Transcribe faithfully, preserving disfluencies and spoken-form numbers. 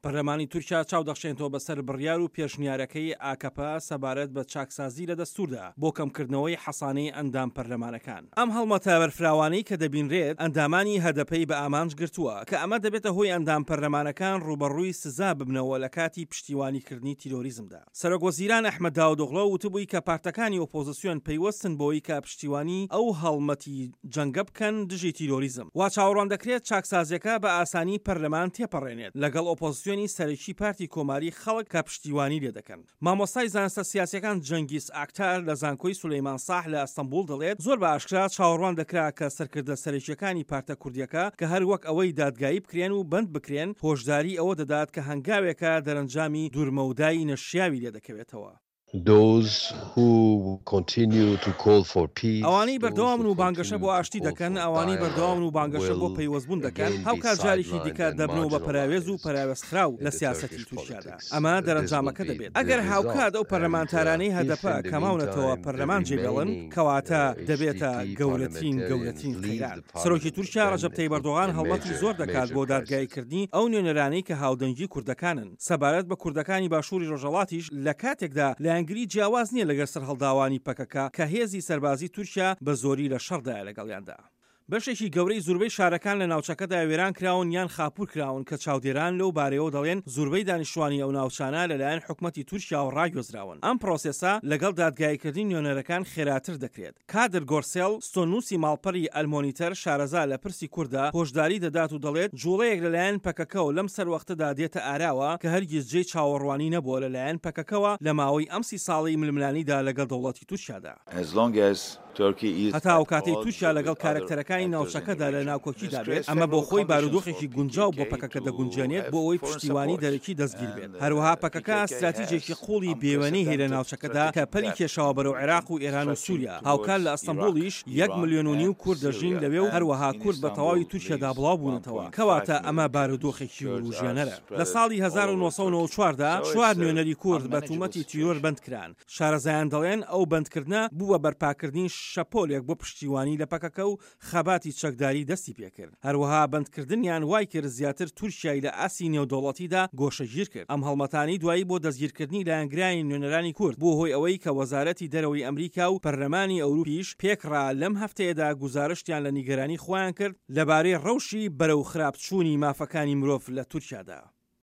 پەرلەمانی تورکیا چاو دەخشێنێتەوە بەسەر بڕیار و پێشنیارەکەی ئاکەپە سەبارەت بە چاکسازی لە دەستوردا بۆ کەمکردنەوەی حەسانەی ئەندام پەرلەمانەکان. ئەم هەڵمەتە بەرفراوانەی کە دەبینرێت ئەندامانی هەدەپەی بە ئامانج گرتووە، کە ئەمە دەبێتە هۆی ئەندام پەرلەمانەکان ڕووبەڕووی سزا ببنەوە لە کاتی پشتیوانیکردنی تیرۆریزمدا. سەرۆک وەزیران ئەحمەد داودئۆغلۆ وتبووی کە پارتەکانی ئۆپۆزسیۆن پەیوەستن بەوەی کە پشتیوانی ئەو هەڵمەتی جەنگە بکەن دژی تیرۆریزم. وا چاوەڕوان دەکرێت چاکسازیەکە بە ئاسانی پەرلەمان تێپەڕێنێت لەگەڵ ئۆپۆزسیۆنی سەرەکی پارتی کۆماری خەڵک کە پشتیوانی لێ دەکەن. مامۆستای زانستە سیاسیەکان جەنگیز ئاکتار لە زانکۆی سولەیمان ساح لە ئەستەنبوڵ دەڵێت زۆر بە ئاشکرا چاوەڕوان دەکرا کە سەرکردە سەرەکیەکانی پارتە کوردیەکە کە هەر وەک ئەوەی دادگایی بکرێن و بەند بکرێن، هۆشداری ئەوە دەدات کە هەنگاوێکە دەرەنجامی دوورمەودای نەشیاوی لێدەکەوێتەوە. Those who continue to call for peace, ئەوانەی بەردەوامن و بانگەشە بۆ ئاشتی دەکەن، ئەوانەی بەردەوامن و بانگەشە بۆ پەیوەستبوون دەکەن، هاوکات جارێکی دیکە دەبنەوە بە پەراوێز و پەراوێزخراو لە سیاسەتی تورکیادا. ئەمە دەرەنجامەکە دەبێت. ئەگەر هاوکات ئەو پەرلەمانتارانەی هەدەپە کە ماونەتەوە پەرلەمان جێبێڵن، کەواتە دەبێتە گەورەترین گەورەترین قەیران. سەرۆکی تورکیا ڕەجەب تەیب ئەردۆغان هەڵمەتی زۆر دەکات بۆ دادگاییکردنی ئەو نوێنەرانەی کە هاودەنگی کوردەکانن. سەبارەت بە کوردەکانی باشووری ڕۆژهەڵاتیش، لە کاتێکدا لایەنگری جیاواز نییە لەگەر سەرهەڵداوانی پەکەکە کە هێزی سەربازی تورکیا بە زۆری لە شەڕدایە لەگەڵیاندا. بەشێکی گەورەی زوربەی شارەکان لە ناوچەکەدا وێران کراون یان خاپوور کراون کە چاودێران لەو بارەیەوە دەڵێن زوربەی دانیشتوانی ئەو ناوچانە لەلایەن حکومەتی تورکیاوە ڕاگوێزراون. ئەم پرۆسێسە لەگەڵ دادگاییکردنی نوێنەرەکان خێراتر دەکرێت. کادر گۆرسێل، ستۆننووسی ماڵپەری ئەلمۆنیتەر شارەزا لە پرسی کوردە، هۆشداری دەدات و دەڵێت جوڵەیەک لەلایەن پەکەکەوە لەم سەروەختەدا دێتە ئاراوە کە هەرگیز جێی چاوەڕوانی نەبووە لەلایەن پەکەکەوە لە ماوەی ئەم سی ساڵەی ململانیدا لەگەڵ دەوڵەتی تورکیادا. As long as Turkey is هەتا ئەو کاتەی تورکیا لەگەڵ کارەکتەرەکانی ناوچەکەدا لە ناکۆکیدا بێت، ئەمە بۆ خۆی بارودۆخێکی گونجاو بۆ پەکەکە دەگونجێنێت بۆ ئەوەی پشتیوانی دەرەکی دەستگیر بێت. هەروەها پەکەکە ستراتیجێکی قوڵی بێوێنەی هەیە لە ناوچەکەدا کە پەلی کێشاوە بەرەو عێراق و ئێران و سوریا، هاوکات لە ئەستەنبوڵیش یەک ملیۆن و نیو کورد دەژین لەوێ و هەروەها کورد بە تەواوی تورکیادا بڵاو بوونەتەوە، کەواتە ئەمە بارودۆخێکی وروژێنەرە. لە ساڵی هەزار و نۆ سەد و نەوەد و چوار دا چوار نوێنەری کورد بە تومەتی تیرۆر بەندکران. شارەزایان دەڵێن ئەو بەندکردنە بوو بە بەرپاکردنی شەپۆلێک بۆ پشتیوانی لە پەکەکە و خەباتی چەکداری دەستی پێکرد. هەروەها بەندکردنیان وای کرد زیاتر تورکیای لە ئاستی نێودەوڵەتیدا گۆشەگیر کرد. ئەم هەڵمەتانەی دوایی بۆ دەستگیرکردنی لایەنگرانی نوێنەرانی کورد بووە هۆی ئەوەی کە وەزارەتی دەرەوەی ئەمریکا و پەرلەمانی ئەوروپیش پێکڕا لەم هەفتەیەدا گوزارشتیان لە نیگەرانی خۆیان کرد لەبارەی ڕەوشی بەرەو خراپچوونی مافەکانی مرۆڤ لە تورکیادا.